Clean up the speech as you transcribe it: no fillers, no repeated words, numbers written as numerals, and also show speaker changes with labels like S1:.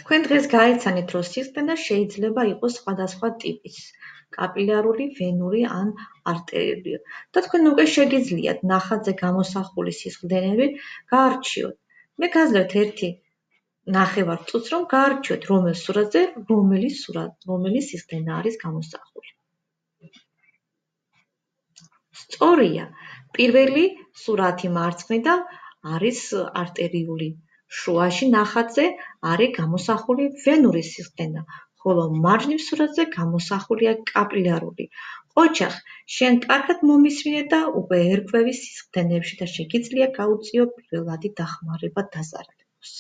S1: თქვენ დღეს გაიცანით, რომ სისხლდენა შეიძლება იყოს სხვადასხვა ტიპის, კაპილარული, ვენური ან არტერიული და თქვენ უკვე შეგიძლიათ ნახატზე გამოსახული სისხლდენები გაარჩიოთ. მე გაძლევთ ერთი ნახევარ წუთს, რომ გაარჩიოთ, რომელ სურათზე რომელი სისხლდენა არის გამოსახული. სწორია, პირველი სურათი მარცხნიდან არის არტერიული, შუაში ნახატზე არის გამოსახული ვენური სისხლდენა, ხოლო მარჯვნივ სურათზე გამოსახულია კაპილარული. ოჩახ, შენ კარგად მომისმინე და უკვე ერკვევი სისხლდენებში და შეგიძლია გაუწიო პირველადი დახმარება დაზარალებას.